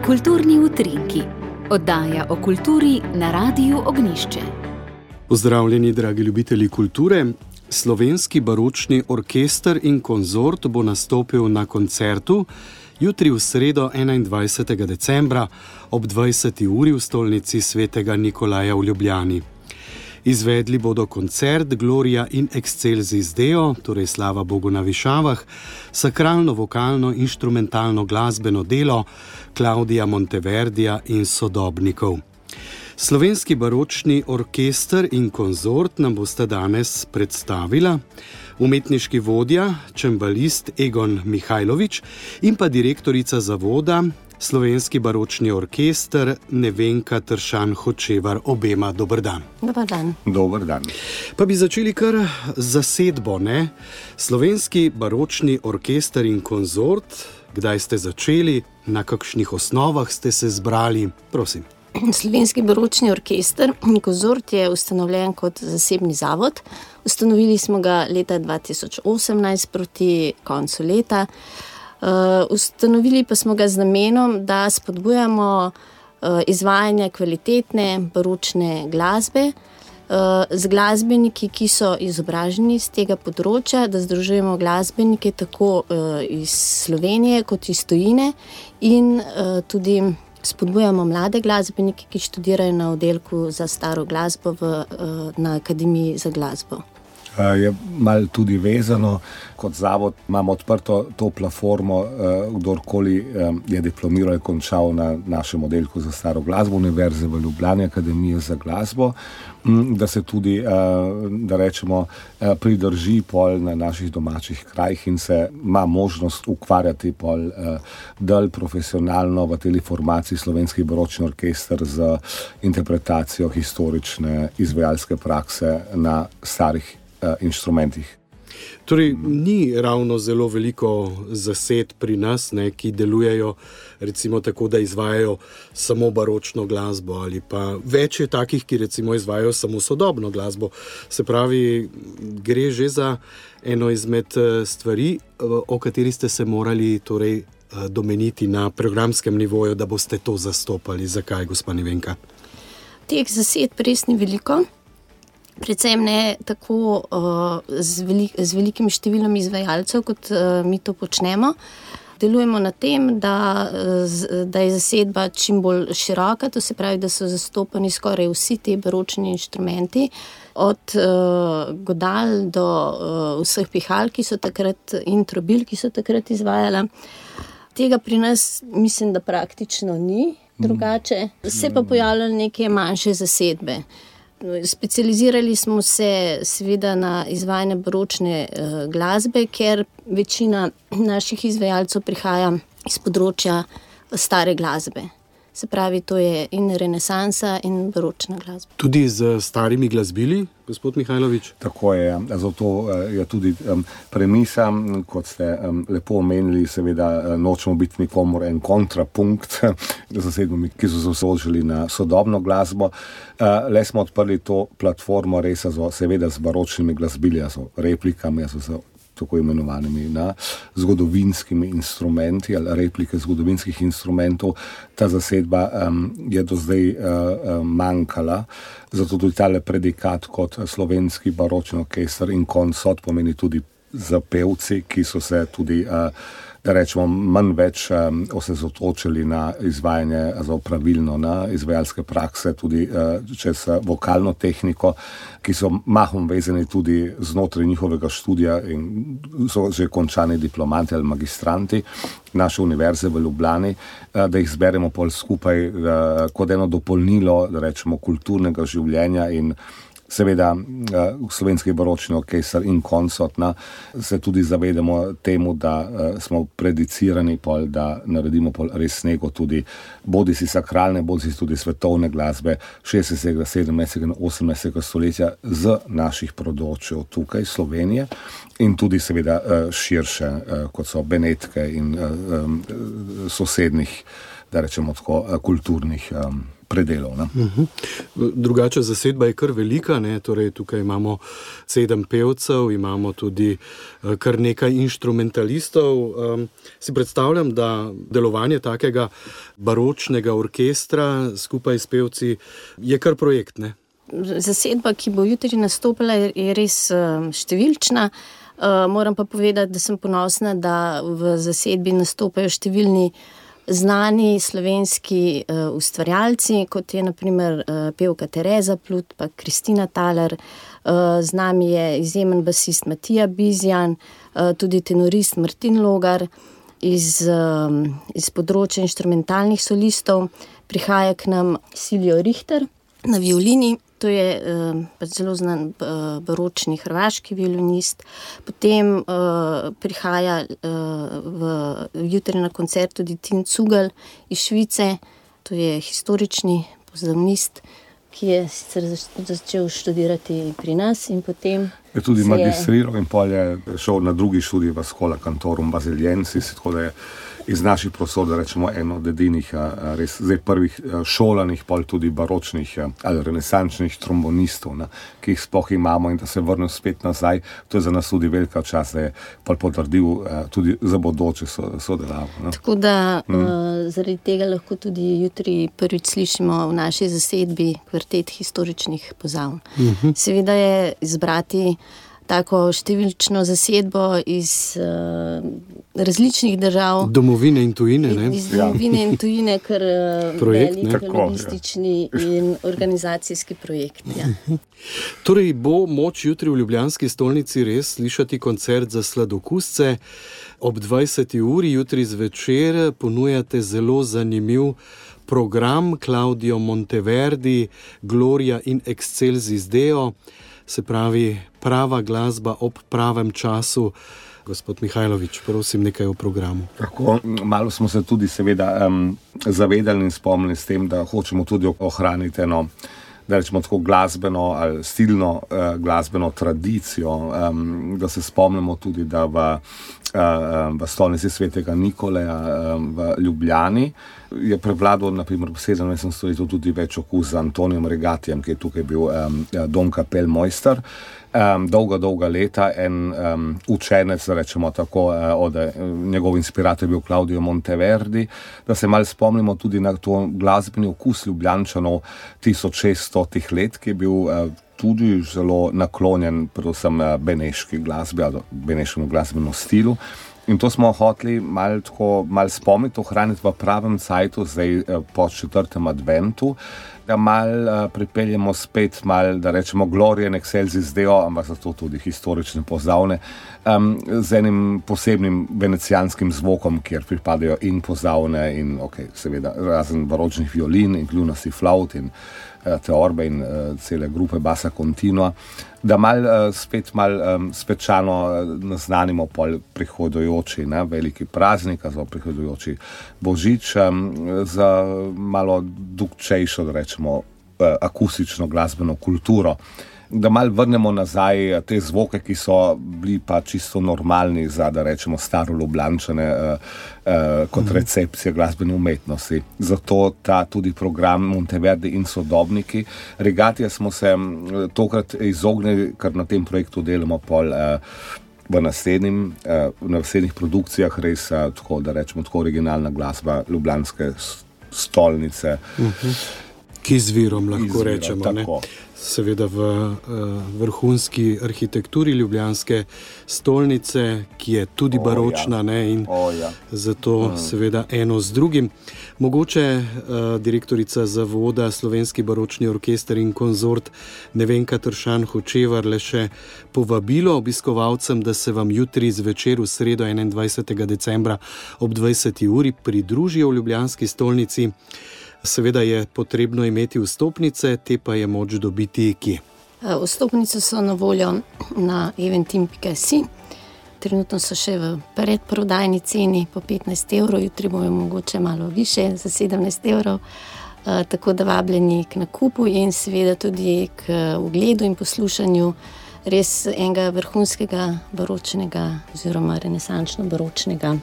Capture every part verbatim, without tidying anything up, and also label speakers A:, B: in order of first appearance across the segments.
A: Kulturni utrinki, oddaja o kulturi na Radiu Ognjišče.
B: Pozdravljeni, dragi ljubitelji kulture. Slovenski baročni orkester in konzort bo nastopil na koncertu jutri v sredo enaindvajsetega decembra ob dvajseti uri v stolnici svetega Nikolaja v Ljubljani. Izvedli bodo koncert Gloria in Excelsis Deo, torej slava Bogu na višavah, sakralno, vokalno, inštrumentalno glasbeno delo Klaudija Monteverdija in sodobnikov. Slovenski baročni orkester in konzort nam bosta danes predstavila umetniški vodja, čembalist Egon Mihajlović in pa direktorica zavoda Slovenski baročni orkester Nevenka Tršan Hočevar. Obema dober dan.
C: Dobar dan.
D: Dobar dan.
B: Pa bi začeli kar zasedbo, ne? Slovenski baročni orkester in konzort, kdaj ste začeli, na kakšnih osnovah ste se zbrali, prosim.
C: Slovenski baročni orkester in konzort je ustanovljen kot zasebni zavod. Ustanovili smo ga leta dva tisoč osemnajst proti koncu leta. Uh, ustanovili pa smo ga z namenom, da spodbujamo uh, izvajanje kvalitetne baročne glasbe uh, z glasbeniki, ki so izobraženi z tega področja, da združujemo glasbenike tako uh, iz Slovenije kot iz tujine in uh, tudi spodbujamo mlade glasbenike, ki študirajo na oddelku za staro glasbo v, na Akademiji za glasbo.
D: Je malo tudi vezano, kot zavod imamo odprto to platformo, kdorkoli je diplomiral in končal na našem oddelku za staro glasbo Univerze v Ljubljani, Akademije za glasbo, da se tudi, da rečemo, pridrži pol na naših domačih krajih in se ima možnost ukvarjati pol del profesionalno v tej formaciji Slovenski baročni orkester z interpretacijo historične izvajalske prakse na starih inštrumentih.
B: Torej, ni ravno zelo veliko zased pri nas, ne, ki delujejo recimo tako, da izvajajo samo baročno glasbo, ali pa več je takih, ki recimo izvajajo samo sodobno glasbo. Se pravi, gre že za eno izmed stvari, o kateri ste se morali torej domeniti na programskem nivoju, da boste to zastopali. Zakaj, gospa Nevenka?
C: Teh zased res ni veliko. Predvsem ne tako uh, z, velik, z velikim številom izvajalcev, kot uh, mi to počnemo. Delujemo na tem, da, da je zasedba čim bolj široka, to se pravi, da so zastopani skoraj vsi ti baročni inštrumenti, od uh, godal do uh, vseh pihal, ki so takrat, in trobil, ki so takrat izvajala. Tega pri nas mislim, da praktično ni drugače. Se pa pojavljajo neke manjše zasedbe. Specializirali smo se seveda na izvajanje baročne uh, glasbe, ker večina naših izvajalcev prihaja iz področja stare glasbe. Se pravi, to je in renesansa in baročna glasba.
B: Tudi z starimi glasbili, gospod Mihajlović?
D: Tako je, zato je tudi um, premisa, kot ste um, lepo omenili, seveda nočemo biti nikomor en kontrapunkt zasedbami, ki so se osredotočili na sodobno glasbo. Uh, le smo odprli to platformo res so, seveda z baročnimi glasbili, so replikami, so se tako imenovanimi na zgodovinskimi instrumenti ali replike zgodovinskih instrumentov. Ta zasedba um, je do zdaj uh, um, manjkala, zato tudi tale predikat kot slovenski baročni orkester in konsort pomeni tudi za pevci, ki so se tudi uh, da rečemo, manj več um, osredotočili na izvajanje, zelo pravilno na izvajalske prakse, tudi uh, čez uh, vokalno tehniko, ki so mahom vezani tudi znotraj njihovega študija in so že končani diplomanti ali magistranti naše univerze v Ljubljani, uh, da jih zberemo pol skupaj uh, kot eno dopolnilo, da rečemo, kulturnega življenja in seveda uh, slovenski baročni orkester in konsort, na, se tudi zavedamo temu, da uh, smo predicirani pol, da naredimo pol res nego tudi bodi si sakralne, bodi si tudi svetovne glasbe šestnajstega, sedemnajstega in osemnajstega stoletja z naših področjev tukaj Slovenije in tudi seveda uh, širše, uh, kot so Benetke in uh, um, sosednih, da rečemo tako, kulturnih um, predelov. Ne.
B: Uh-huh. Drugače zasedba je kar velika, ne? Torej tukaj imamo sedem pevcev, imamo tudi kar nekaj inštrumentalistov. Um, si predstavljam, da delovanje takega baročnega orkestra skupaj s pevci je kar projekt, ne?
C: Zasedba, ki bo jutri nastopila, je res uh, številčna. Uh, moram pa povedati, da sem ponosna, da v zasedbi nastopajo številni znani slovenski uh, ustvarjalci, kot je na primer uh, pevka Tereza Plut, pa Kristina Taler, uh, z nami je izjemen basist Matija Bizjan, uh, tudi tenorist Martin Logar, iz, uh, iz področja inštrumentalnih solistov. Prihaja k nam Siljo Richter na violini. To je uh, pač zelo znan uh, baročni hrvaški violinist. Potem uh, prihaja uh, v, jutri na koncert tudi Tin Cugel iz Švice. To je historični pozavnist, ki je sicer začel študirati pri nas in potem
D: je tudi magistriral in pol je šel na drugi študij v Schola Cantorum Basiliensis, tako da je iz naših prostor, da rečemo, eno od edinih res zdaj prvih šolanih, pol tudi baročnih ali renesančnih trombonistov, ne, ki jih sploh imamo, in da se vrnil spet nazaj. To je za nas tudi velika čast, da je pol potrdil tudi za bodoče sodelavo.
C: Tako da mm. uh, zaradi tega lahko tudi jutri prvič slišimo v naši zasedbi kvartet historičnih pozavn. Mm-hmm. Seveda je izbrati tako številčno zasedbo iz uh, različnih držav.
B: Domovine in tujine, ne?
C: Iz domovine ja. in tujine, kar uh, velik logistični ja. in organizacijski projekt. Ja.
B: Torej bo moč jutri v ljubljanski stolnici res slišati koncert za sladokusce. Ob dvajseti uri jutri zvečer ponujate zelo zanimiv program Claudio Monteverdi, Gloria in Excelsis Deo. Se pravi, prava glasba ob pravem času. Gospod Mihajlović, prosim nekaj o programu.
D: Tako, malo smo se tudi seveda um, zavedali in spomnili s tem, da hočemo tudi ohraniti eno, da rečemo tako glasbeno ali stilno uh, glasbeno tradicijo, um, da se spomnimo tudi, da v, uh, v stolnici svetega Nikoleja um, v Ljubljani je prevladal na primer v sedemnajstem stoletju tudi več okus z Antonijem Regatijem, ki je tukaj bil um, Don Kapellmeister. Um, dolga, dolga leta en um, učenec, rečemo tako, uh, od uh, njegov inspirator je bil Claudio Monteverdi, da se malo spomnimo tudi na to glasbeni okus Ljubljančanov tisoč šeststotih let, ki je bil uh, tudi zelo naklonjen predvsem uh, beneški glasbi ali beneškemu glasbenemu stilu. In to smo hoteli malo tako, malo spomniti, ohraniti v pravem cajtu, zdaj po četrtem adventu, da malo uh, pripeljemo spet malo, da rečemo Gloria in Excelsis Deo, ampak zato tudi historične pozavne, um, z enim posebnim venecijanskim zvokom, kjer pripadajo in pozavne in ok, seveda razen baročnih violin in kljunasti flaut in uh, teorbe in uh, cele grupe basa continua, da malo uh, spet malo um, svečano uh, naznanimo pol prihodujoči, ne, veliki praznik, za prihodujoči božič, um, za malo dugčejšo, da rečemo, uh, akustično glasbeno kulturo. Da malo vrnemo nazaj te zvoke, ki so bili pa čisto normalni za, da rečemo, staro Ljubljančane uh, uh, kot recepcija glasbene umetnosti. Zato ta tudi program Monteverdi in sodobniki. Regatija smo se tokrat izognili, ker na tem projektu delamo pol uh, v naslednjim, uh, v naslednjih produkcijah res uh, tako, da rečemo, tako originalna glasba ljubljanske stolnice.
B: Uh-huh. Ki z virom lahko
D: Izvira,
B: rečemo,
D: tako.
B: Ne? Seveda v uh, vrhunski arhitekturi ljubljanske stolnice, ki je tudi baročna,
D: oh, ja.
B: ne, in
D: oh, ja.
B: zato mm. seveda eno z drugim. Mogoče uh, direktorica zavoda Slovenski baročni orkester in konzort Nevenka Tršan Hočevar le še povabilo obiskovalcem, da se vam jutri zvečer v sredo enaindvajsetega decembra ob dvajseti uri pridružijo v ljubljanski stolnici. Seveda je potrebno imeti vstopnice, te pa je moč dobiti kje?
C: Vstopnice so na voljo na eventim pika si. Trenutno so še v predprodajni ceni po petnajst evrov, jutri bojo mogoče malo više, za sedemnajst evrov. Tako da vabljeni k nakupu in seveda tudi k ogledu in poslušanju res enega vrhunskega baročnega oziroma renesančno baročnega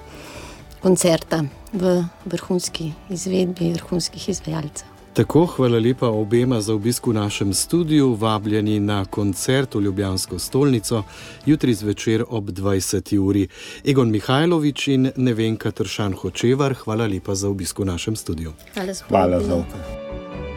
C: koncerta v vrhunski izvedbi vrhunskih izvajalcev.
B: Tako, hvala lepa obema za obisk v našem studiu, vabljeni na koncert v Ljubljansko stolnico, jutri zvečer ob dvajseti uri. Egon Mihajlović in Nevenka Tršan Hočevar, hvala lepa za obisk v našem studiu.
C: Hvala za
D: Hvala za obisk.